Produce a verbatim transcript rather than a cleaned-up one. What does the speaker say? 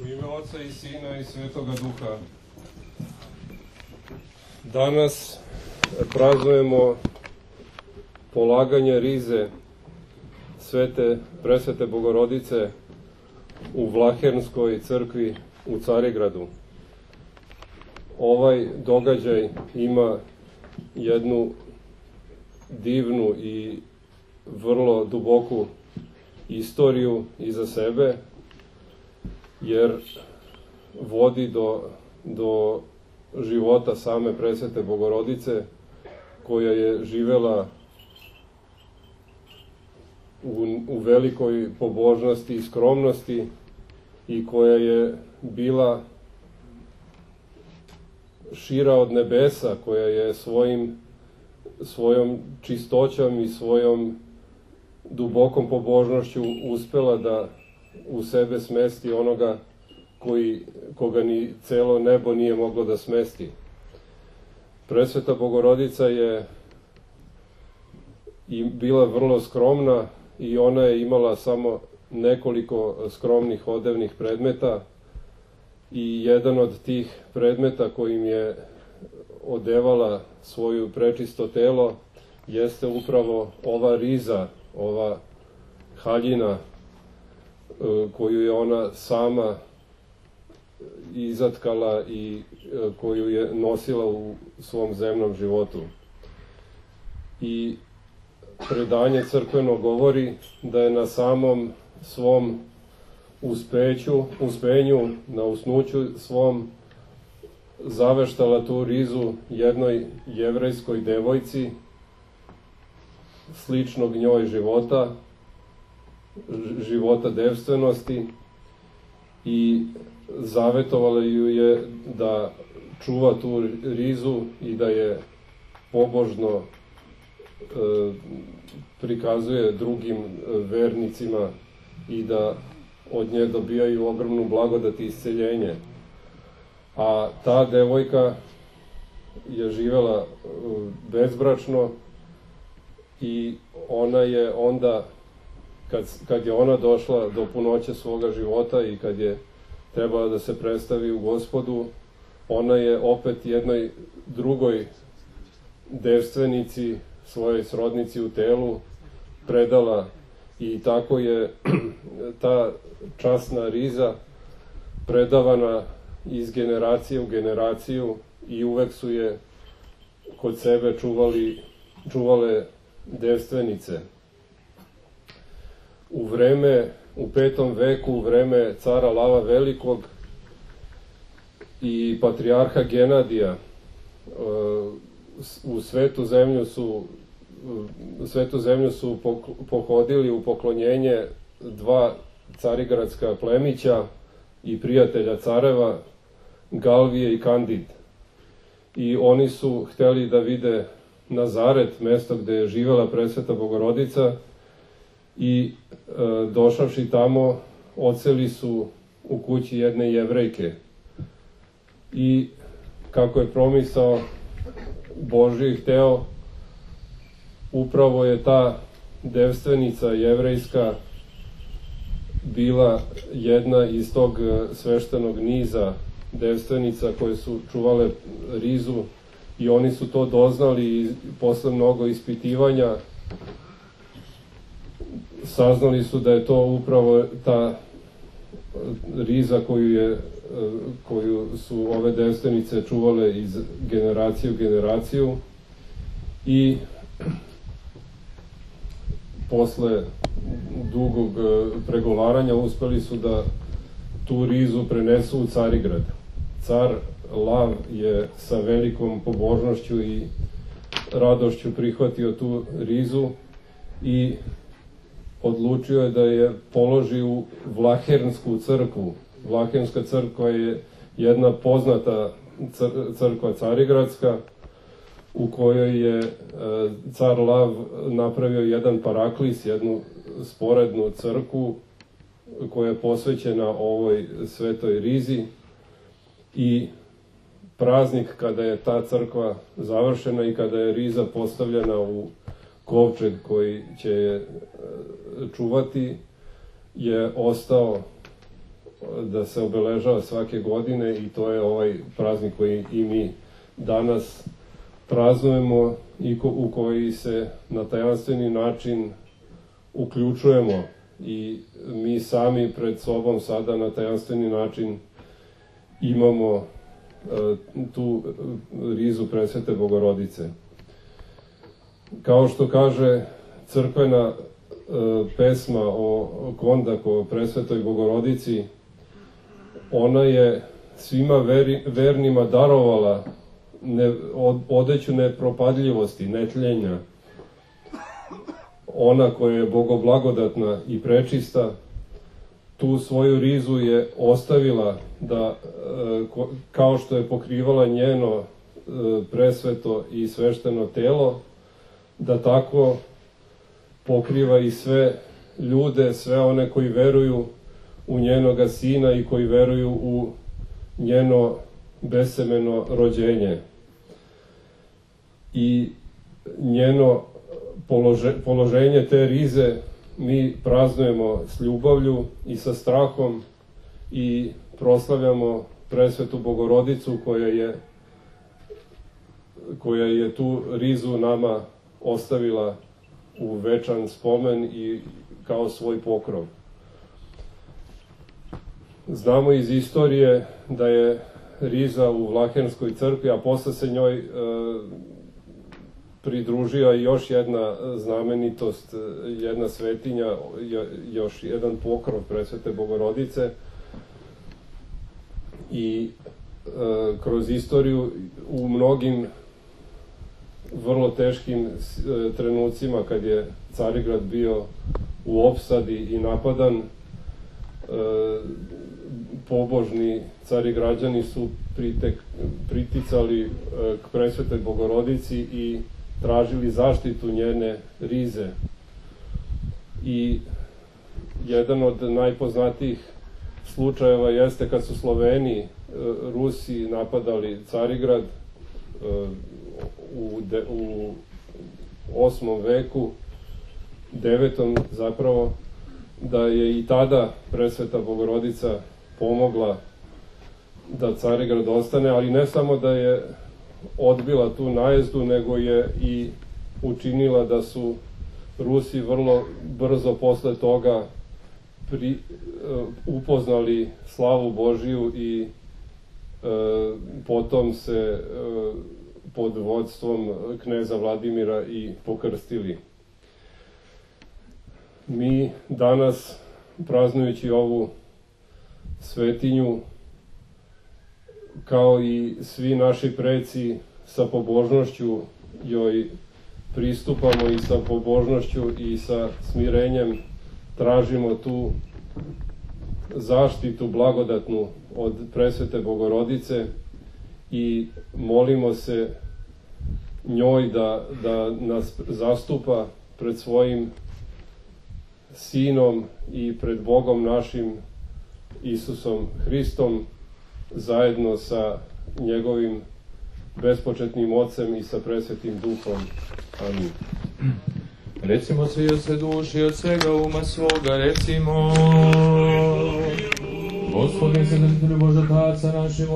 U ime Oca i Sina i Svetoga Duha. Danas praznujemo polaganje rize Svete Presvete Bogorodice u Vlahernskoj crkvi u Carigradu. Ovaj događaj ima jednu divnu i vrlo duboku istoriju iza sebe, jer vodi do, do života same Presvete Bogorodice, koja je živela u, u velikoj pobožnosti i skromnosti i koja je bila šira od nebesa, koja je svojim, svojom čistoćom i svojom dubokom pobožnošću uspela da u sebe smesti onoga koji, koga ni celo nebo nije moglo da smesti. Presveta Bogorodica je i bila vrlo skromna i ona je imala samo nekoliko skromnih odevnih predmeta i jedan od tih predmeta kojim je odevala svoju prečisto telo jeste upravo ova riza, ova haljina koju je ona sama izatkala i koju je nosila u svom zemnom životu. I predanje crkveno govori da je na samom svom uspeću, uspenju, na usnuću svom zaveštala tu rizu jednoj jevrejskoj devojci sličnog njoj života, života devstvenosti, i zavetovala ju je da čuva tu rizu i da je pobožno e, prikazuje drugim vernicima i da od nje dobijaju ogromnu blagodat i isceljenje. A ta devojka je živela bezbračno i ona je onda, kad, kad je ona došla do punoće svoga života i kad je trebala da se predstavi u Gospodu, ona je opet jednoj drugoj devstvenici, svojoj srodnici u telu, predala, i tako je ta časna riza predavana iz generacije u generaciju i uvek su je kod sebe čuvali, čuvale devstvenice. U vreme, u petom veku, u vreme cara Lava Velikog i patrijarha Genadija, u svetu zemlju su, svetu zemlju su pohodili u poklonjenje dva carigradska plemića i prijatelja careva, Galvije i Kandid. I oni su hteli da vide Nazaret, mesto gde je živela Presveta Bogorodica, i e, došavši tamo odseli su u kući jedne jevrejke. I kako je promisao Božji hteo, upravo je ta devstvenica jevrejska bila jedna iz tog sveštenog niza devstvenica koje su čuvale rizu, i oni su to doznali i posle mnogo ispitivanja saznali su da je to upravo ta riza koju, je, koju su ove devstvenice čuvale iz generacije u generaciju, i posle dugog pregovaranja uspeli su da tu rizu prenesu u Carigrad. Car Lav je sa velikom pobožnošću i radošću prihvatio tu rizu i odlučio je da je položi u Vlahernsku crkvu. Vlahernska crkva je jedna poznata crkva carigradska, u kojoj je car Lav napravio jedan paraklis, jednu sporednu crkvu koja je posvećena ovoj svetoj rizi, i praznik kada je ta crkva završena i kada je riza postavljena u kovčeg koji će je čuvati, je ostao da se obeležava svake godine i to je ovaj praznik koji i mi danas praznujemo i ko, u koji se na tajanstveni način uključujemo i mi sami pred sobom sada na tajanstveni način imamo e, tu rizu Presvete Bogorodice. Kao što kaže crkvena e, pesma o Kondaku, o Presvetoj Bogorodici, ona je svima veri, vernima darovala ne, od, odeću nepropadljivosti, netljenja. Ona koja je bogoblagodatna i prečista, tu svoju rizu je ostavila da, kao što je pokrivala njeno presveto i svešteno telo, da tako pokriva i sve ljude, sve one koji veruju u njenoga sina i koji veruju u njeno besemeno rođenje. I njeno polože, položenje te rize mi praznujemo s ljubavlju i sa strahom i proslavljamo Presvetu Bogorodicu koja je, koja je tu rizu nama ostavila u večan spomen i kao svoj pokrov. Znamo iz istorije da je riza u Vlahenskoj crkvi, a posle se njoj e, pridružila još jedna znamenitost, jedna svetinja, još jedan pokrov Presvete Bogorodice. I e, kroz istoriju u mnogim vrlo teškim e, trenucima kad je Carigrad bio u opsadi i napadan, e, pobožni carigrađani su pritek, priticali e, k Presvetoj Bogorodici i tražili zaštitu njene rize. I jedan od najpoznatijih slučajeva jeste kad su Sloveni, e, Rusi napadali Carigrad e, u, de, u osmom veku, devetom zapravo, da je i tada Presveta Bogorodica pomogla da Carigrad ostane, ali ne samo da je odbila tu najezdu, nego je i učinila da su Rusi vrlo brzo posle toga pri, uh, upoznali slavu Božiju i uh, potom se uh, pod vodstvom kneza Vladimira i pokrstili. Mi danas, praznujući ovu svetinju, kao i svi naši preci, sa pobožnošću joj pristupamo i sa pobožnošću i sa smirenjem tražimo tu zaštitu blagodatnu od Presvete Bogorodice i molimo se njoj da, da nas zastupa pred svojim Sinom i pred Bogom našim Isusom Hristom, zajedno sa njegovim bespočetnim Ocem i sa Presvetim Duhom. Amin. Recimo svi od sve duši, od svega uma svoga, recimo: Gospodin se, Bože, Taca našim,